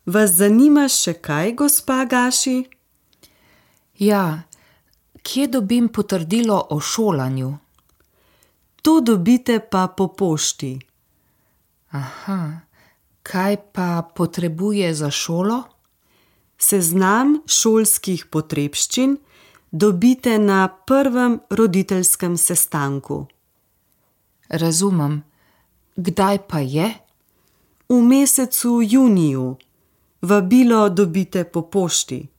Vas zanima še kaj, gospa Gaši? Ja, kje dobim potrdilo o šolanju? To dobite pa po pošti. Aha, kaj pa potrebuje za šolo? Seznam šolskih potrebščin dobite na prvem roditeljskem sestanku. Razumem. Kdaj pa je? V mesecu juniju. Vabilo dobite po pošti.